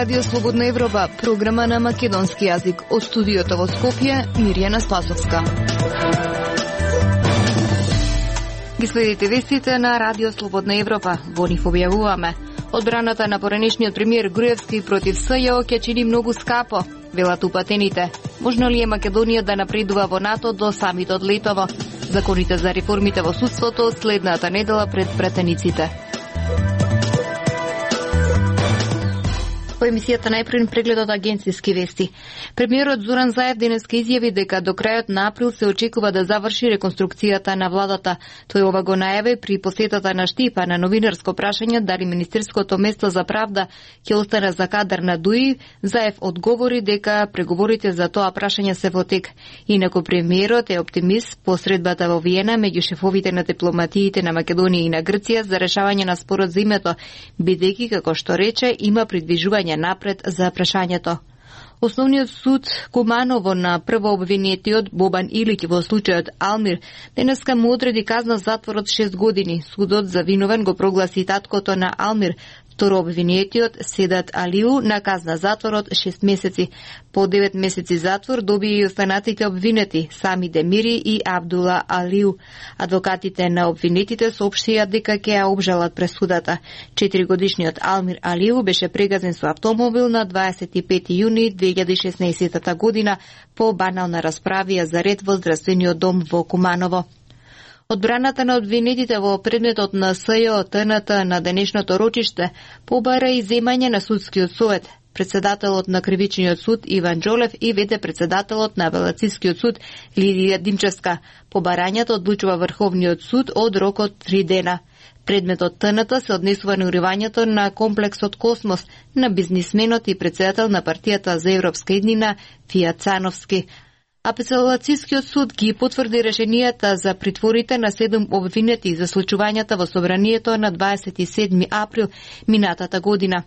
Радио Слободна Европа, програма на македонски јазик. Од студиото во Скопје, Мирјана Спасовска. Ги следите вестите на Радио Слободна Европа. Во нив објавуваме: одбраната на поранешниот премиер Груевски против СЈО ќе чини многу скапо, велат упатените. Можно ли е Македонија да напредува во НАТО до самитот летово? Законите за реформите во судството следната недела пред пратениците. Во емисијата најпред прегледот агенцијски вести. Премиерот Зоран Заев денеска изјави дека до крајот на април се очекува да заврши реконструкцијата на владата. Тој ова го најави при посетата на Штипа на новинарско прашање дали Министерското место за правда ќе остане за кадар на ДУИ. Заев одговори дека преговорите за тоа прашање се во тек. Инаку премиерот е оптимист по средбата во Виена меѓу шефовите на дипломатиите на Македонија и на Грција за решавање на спорот за името, бидејќи, како што рече, има придвижување напред за прашањето. Основниот суд Куманово на прво обвинетиот Бобан Илиќ во случајот Алмир денеска му одреди казна затвор од 6 години. Судот за виновен го прогласи таткото на Алмир. Второ обвинетиот Седат Алиу на казна затвор од 6 месеци. По 9 месеци затвор добија и останатите обвинети Сами Демири и Абдула Алиу. Адвокатите на обвинетите соопштија дека ќе ја обжалат пресудата. 4-годишниот Алмир Алиу беше прегазен со автомобил на 25 јуни 2016 година по банална расправија за ред во здравствениот дом во Куманово. Одбраната на обвинетите во предметот на СЈО ТНТ на денешното рочиште побара и земање на судскиот совет. Председателот на Кривичниот суд Иван Джолев и вете председателот на Апелацискиот суд Лидија Димчевска. Побарањето одлучува Врховниот суд од рок од 3 дена. Предметот ТНТ се однесува на уривањето на комплексот Космос на бизнисменот и председател на партијата за европска иднина Фијат Цановски. Апелацискиот суд ги потврди решенијата за притворите на 7 обвинети за случувањата во собранието на 27 април минатата година.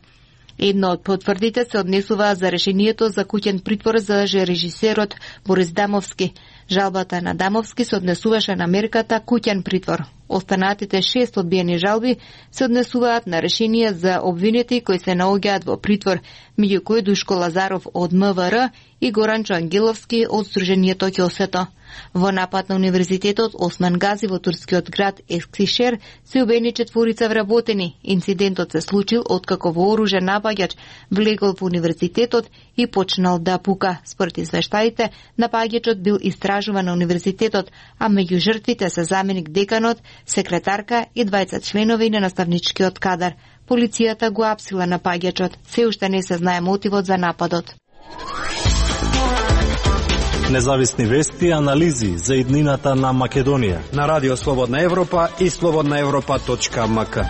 Едно од потврдите се однесува за решението за куќен притвор за режисерот Борис Дамовски. Жалбата на Дамовски се однесуваше на мерката куќен притвор. Останатите 6 одбиени жалби се однесуваат на решение за обвинети кои се наоѓаат во притвор, меѓу кои Душко Лазаров од МВР и Горанчо Ангеловски од Сдруженијето Ќосето. Во напад на Универзитетот Осман Гази во турскиот град Ескишер се убени 4 вработени. Инцидентот се случил откако вооружен напаѓач влегол во универзитетот и почнал да пука. Според извештаите, напаѓачот бил истражуван на универзитетот, а меѓу жртвите се заменик деканот, секретарка и 20 членови на наставничкиот кадар. Полицијата го апсила напаѓачот. Се уште не се знае мотивот за нападот. Независни вести и анализи за иднината на Македонија на Радио Слободна Европа и slobodnaevropa.mk.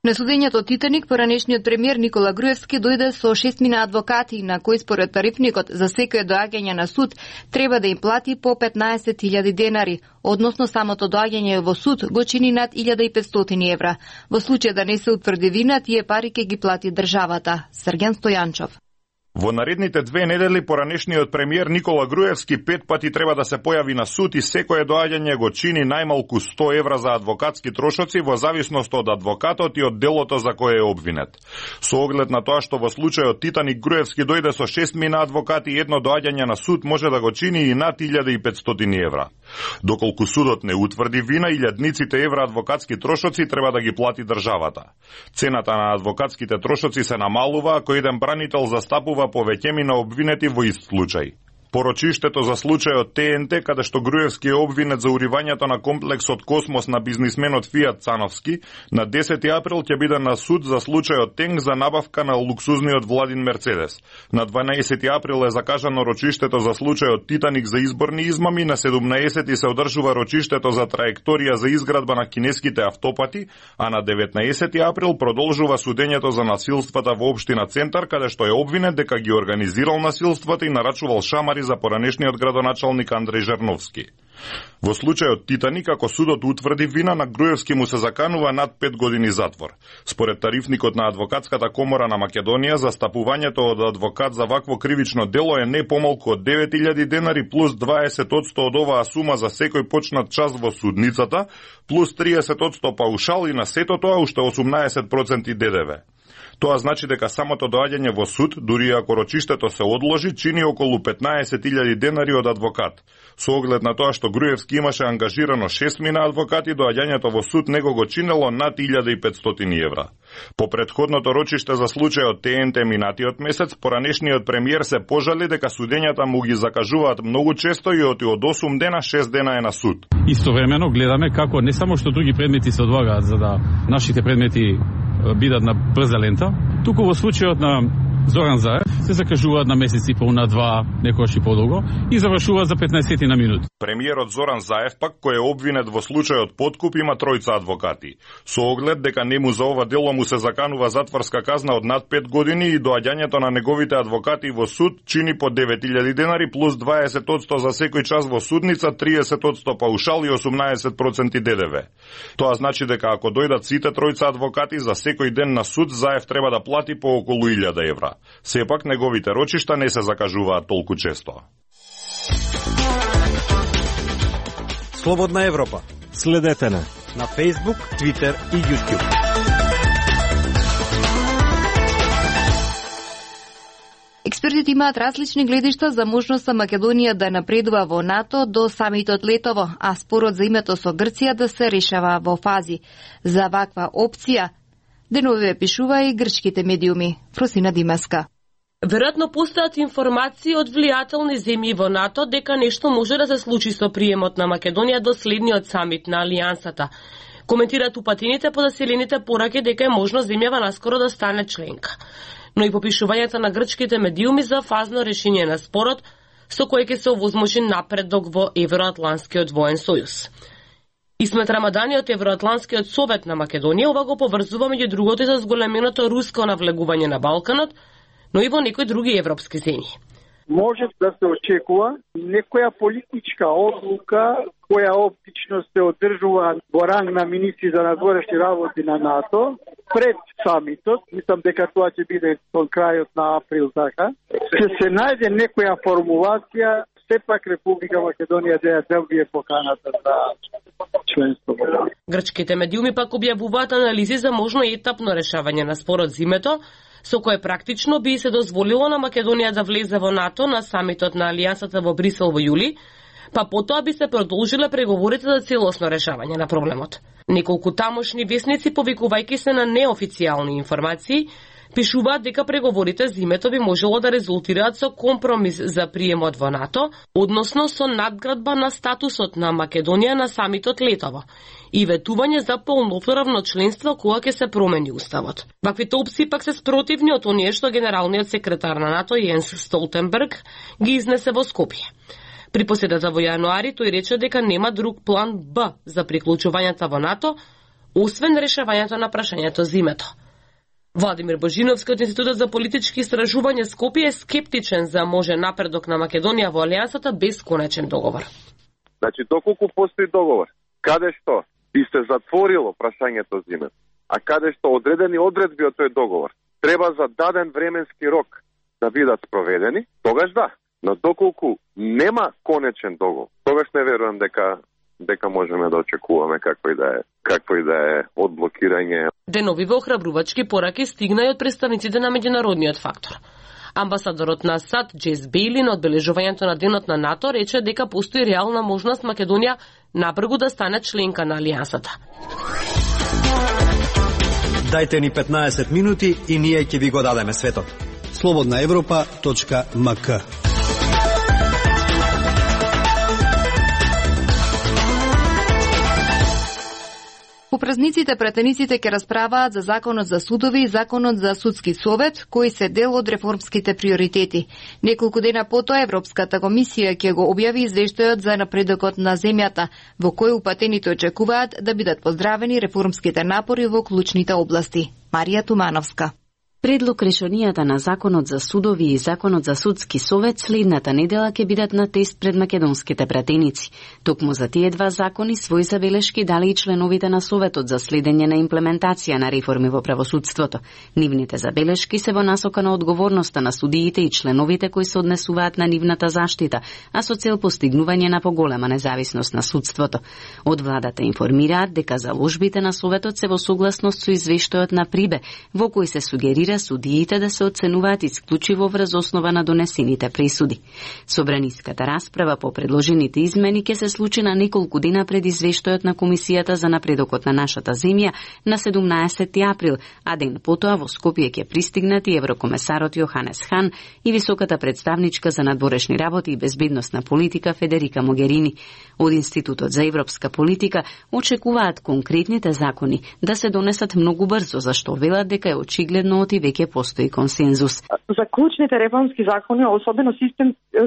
На судењето Титаник, поранешниот премиер Никола Груевски дојде со 6 адвокати на кои според тарифникот за секој доаѓање на суд треба да им плати по 15.000 денари, односно самото доаѓање во суд го чини над 1.500 евра. Во случај да не се утврди вина, тие пари ќе ги плати државата. Срген Стојанчов. Во наредните 2 недели поранешниот премиер Никола Груевски 5 пати треба да се појави на суд и секое доаѓање го чини најмалку 100 евра за адвокатски трошоци во зависност од адвокатот и од делото за кое е обвинет. Со оглед на тоа што во случајот Титаник Груевски дојде со 6 адвокати и едно доаѓање на суд може да го чини и над 1.500 евра. Доколку судот не утврди вина, илјадниците евра адвокатски трошоци треба да ги плати државата. Цената на адвокатските трошоци се намалува ако еден бранител застапува повеќемина обвинети во ист случај. Порочиштето за случајот ТНТ, каде што Груевски е обвинет за уривањето на комплексот Космос на бизнисменот Фијат Цановски, на 10 април ќе биде на суд за случајот Тенг за набавка на луксузниот Владин Мерцедес. На 12 април е закажано рочиштето за случајот Титаник за изборни измами, на 17 се одржува рочиштето за траекторија за изградба на кинеските автопати, а на 19 април продолжува судењето за насилствата во општина Центар, каде што е обвинет дека ги организирал насилствата и нарачувал шамари за поранешниот градоначалник Андреј Жерновски. Во случајот Титаник, ако судот утврди вина, на Груевски му се заканува над 5 години затвор. Според тарифникот на Адвокатската комора на Македонија, застапувањето од адвокат за вакво кривично дело е не помалку од 9000 денари плюс 20% од оваа сума за секој почнат час во судницата, плюс 30% паушал и на сето тоа уште 18% ДДВ. Тоа значи дека самото доаѓање во суд, дури ако рочиштето се одложи, чини околу 15.000 денари од адвокат. Со оглед на тоа што Груевски имаше ангажирано 6 мина адвокати, доаѓањето во суд него го чинело над 1500 евра. По претходното рочиште за случајот ТНТ минатиот месец, поранешниот премиер се пожали дека судењата му ги закажуваат многу често и од 8 дена 6 дена е на суд. Истовремено гледаме како не само што други предмети се одлагаат за да нашите предмети бидат на брза лента, туку во случајот на Зоран Заев се закажуваат на месец и пол, на 2, некогаш и подолго, и завршуваат за 15 на минути. Премиерот Зоран Заев пак, кој е обвинет во случајот подкуп, има тројца адвокати. Со оглед дека нему за ова дело му се заканува затворска казна од над 5 години и доаѓањето на неговите адвокати во суд чини по 9000 денари плюс 20% за секој час во судница, 30% паушал и 18% ДДВ. Тоа значи дека ако дојдат сите тројца адвокати за секој ден на суд, Заев треба да плати по околу 1000 евра. Сепак неговите рочишта не се закажуваат толку често. Слободна Европа. Следете на Facebook, Twitter и YouTube. Експертите имаат различни гледишта за можноста Македонија да напредува во НАТО до самитот летово, а спорот за името со Грција да се решава во фази. За ваква опција деновиве пишува и грчките медиуми. Фросина Димаска. Веројатно постојат информации од влијателни земји во НАТО дека нешто може да се случи со приемот на Македонија до следниот самит на Алијансата. Коментираат упатените по заселените пораки дека е можно земјава наскоро да стане членка. Но и попишувањата на грчките медиуми за фазно решение на спорот со кој ќе се овозможи напредок во Евроатланскиот воен сојуз. Исмет Рамадани од Евроатланскиот совет на Македонија ова го поврзува меѓу другото и со зголеменото руско навлегување на Балканот, но и во некои други европски земји. Може да се очекува некоја политичка одлука која оптично се одржува во ранг на министри за надворешни работи на НАТО пред самитот. Мислам дека тоа ќе биде кон крајот на април, така. Се најде некоја формулација, сепак Република Македонија да ја добие поканата за членство. Грчките медиуми пак објавуваат анализи за можно етапно решавање на спорот зимето, со кое практично би се дозволило на Македонија да влезе во НАТО на самитот на Алијансата во Брисел во јули, па потоа би се продолжиле преговорите за целосно решавање на проблемот. Неколку тамошни весници, повикувајќи се на неофицијални информации, пишуваат дека преговорите зимето би можело да резултираат со компромис за приемот во НАТО, односно со надградба на статусот на Македонија на самитот летово и ветување за полноправно членство кога ќе се промени уставот. Ваквите опции пак се спротивни од оние што генералниот секретар на НАТО Јенс Столтенберг ги изнесе во Скопје. При поседата во јануари тој рече дека нема друг план Б за приклучувањето во НАТО, освен решавањето на прашањето зимето. Владимир Божиновски од Институтот за политички истражувања Скопје е скептичен за може напредок на Македонија во Алијансата без конечен договор. Значи, доколку постои договор, каде што би се затворило прашањето зимето, а каде што одредени одредби од тој договор треба за даден временски рок да бидат спроведени, тогаш да. Но доколку нема конечен договор, тогаш не верувам дека можеме да очекуваме какво и да е одблокирање. Деновиве охрабрувачки пораки стигна и од представниците на меѓународниот фактор. Амбасадорот на САД Джейс Бейли на одбележувањето на денот на НАТО рече дека постои реална можност Македонија набрзо да стане членка на Алијансата. Дајте ни 15 минути и ние ќе ви го дадеме светот. slobodnaevropa.mk. По празниците претениците ќе расправаат за законот за судови и законот за судски совет, кои се дел од реформските приоритети. Неколку дена потоа Европската комисија ќе го објави извештајот за напредокот на земјата, во кој упатените очекуваат да бидат поздравени реформските напори во клучните области. Марија Тумановска. Предлог решенијата на Законот за судови и Законот за судски совет следната недела ќе бидат на тест пред македонските пратеници. Токму за тие два закони свои забелешки дали и членовите на Советот за следење на имплементација на реформи во правосудството. Нивните забелешки се во насока на одговорноста на судиите и членовите кои се однесуваат на нивната заштита, а со цел постигнување на поголема независност на судството. Од владата информираат дека заложбите на Советот се во согласност со извештајот на Прибе, во кој се сугерира судиите да се оценуваат исклучиво врз основа на донесените пресуди. Собраниската расправа по предложените измени ќе се случи на неколку дена пред извештајот на Комисијата за напредокот на нашата земја на 17 април, а ден потоа во Скопје ќе пристигнат и еврокомесарот Јоханес Хан и високата представничка за надворешни работи и безбедносна политика Федерика Могерини. Од Институтот за европска политика очекуваат конкретните закони да се донесат многу брзо, зашто велат дека е очигледно оти веќе постои консензус. За клучните реформски закони, особено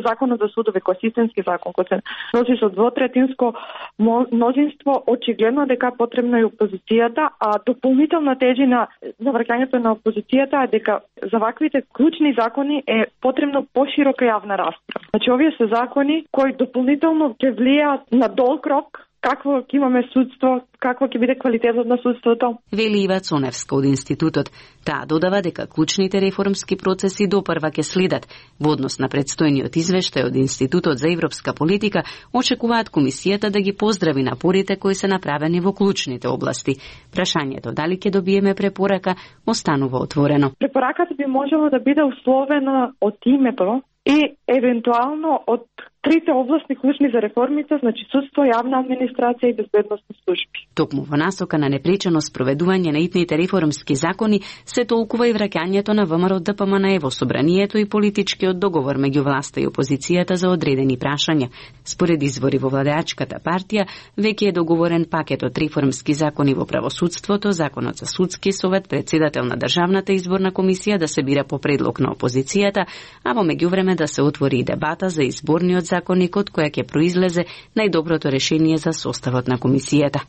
законот за судове, кој е системски закон, кој се носи со двотретинско мнозинство, очигледно дека потребна и опозицијата, а дополнителна тежи на враќањето на опозицијата е дека за ваквите клучни закони е потребно поширока јавна расправа. Значи, овие се закони кои дополнително ќе влијаат на долг рок какво ќе имаме судство, какво ќе биде квалитетот на судството. Вели Ива Цоневска од Институтот. Таа додава дека клучните реформски процеси допрва ќе следат. Во однос на предстојниот извештај од Институтот за европска политика, очекуваат Комисијата да ги поздрави напорите кои се направени во клучните области. Прашањето дали ќе добиеме препорака останува отворено. Препораката би можело да биде условена од името и евентуално од трите областни клучни за реформите, значи судство, јавна администрација и безбедносни служби. Токму во насока на непречено спроведување на итните реформски закони се толкува и враќањето на ВМРО ДПМНЕ во собранието и политичкиот договор меѓу власта и опозицијата за одредени прашања. Според извори во владеачката партија, веќе е договорен пакет од реформски закони во правосудството, Законот за судски совет, председател на Државната изборна комисија да се бира по предлог на опозицијата, а во меѓувреме да се отвори и дебата за изборниот законник од која ќе произлезе најдоброто решение за составот на комисијата.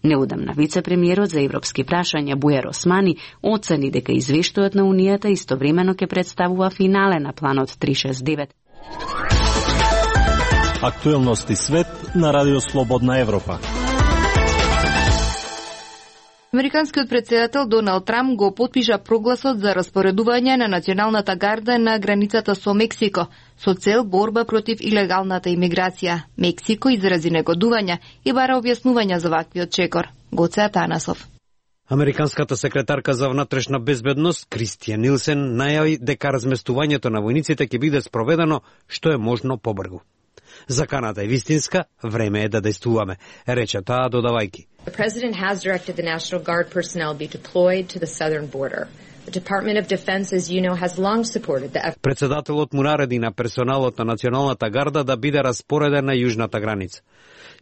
Неудамна вице-премиерот за европски прашања Бујар Османи оцени дека извештајот на Унијата истовремено ќе представува финале на планот 369. Актуелности свет на Радио Слободна Европа. Американскиот председател Доналд Трамп го потпиша прогласот за распоредување на националната гарда на границата со Мексико со цел борба против илегалната имиграција. Мексико изрази негодување и бара објаснувања за ваквиот чекор. Гоце Атанасов. Американската секретарка за внатрешна безбедност Кристијан Нилсен најави дека разместувањето на војниците ќе биде спроведено што е можно побрзо. Заканата е вистинска, време е да действуваме, рече таа додавајќи. The President has directed the National Guard personnel be deployed to the southern border. The Department of Defense, as you know, has long supported the Председателот му нареди на персоналот на Националната гарда да биде распореден на јужната граница.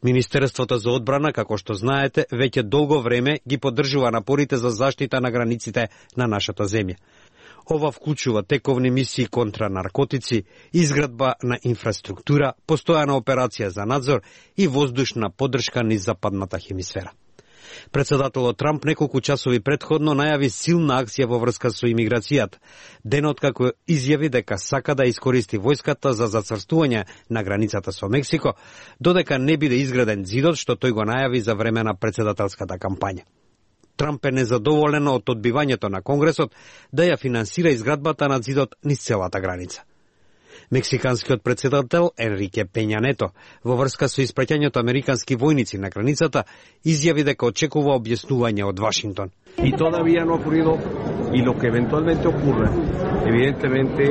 Министерството за одбрана, како што знаете, веќе долго време ги поддржува напорите за заштита на границите на нашата земја. Ова вклучува тековни мисии контра наркотици, изградба на инфраструктура, постојана операција за надзор и воздушна поддршка низ западната хемисфера. Председателот Трамп неколку часови претходно најави силна акција во врска со имиграцијата, денот како изјави дека сака да искористи војската за зацрстување на границата со Мексико, додека не биде изграден зидот што тој го најави за време на председателската кампања. Трамп е незадоволен од одбивањето на Конгресот да ја финансира изградбата на зидот низ целата граница. Мексиканскиот председател Енрике Пења Нето во врска со испраќањето американски војници на границата изјави дека очекува објаснување од Вашингтон. И todavía no ha ocurrido y lo que eventualmente ocurra, evidentemente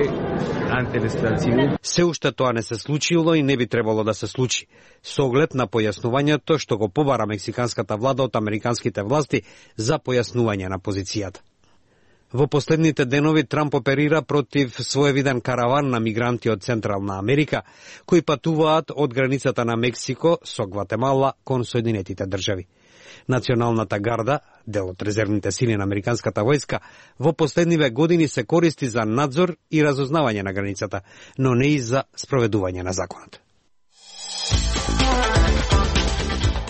ante el esclarecimiento. Се уште тоа не се случило и не би требало да се случи, со оглед на појаснувањето што го побара мексиканската влада од американските власти за појаснување на позицијата. Во последните денови Трамп оперира против своевиден караван на мигранти од Централна Америка, кои патуваат од границата на Мексико со Гватемала кон Соединетите држави. Националната гарда, дел од резервните сили на американската војска, во последниве години се користи за надзор и разузнавање на границата, но не и за спроведување на законот.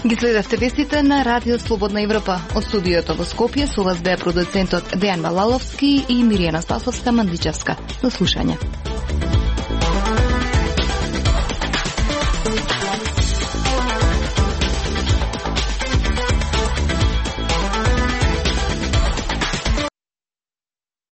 Ги следевте вестите на Радио Слободна Европа. Од студиото во Скопје со вас беа продуцентот Дејан Балаловски и Миријана Спасовска-Мандичевска. До слушање.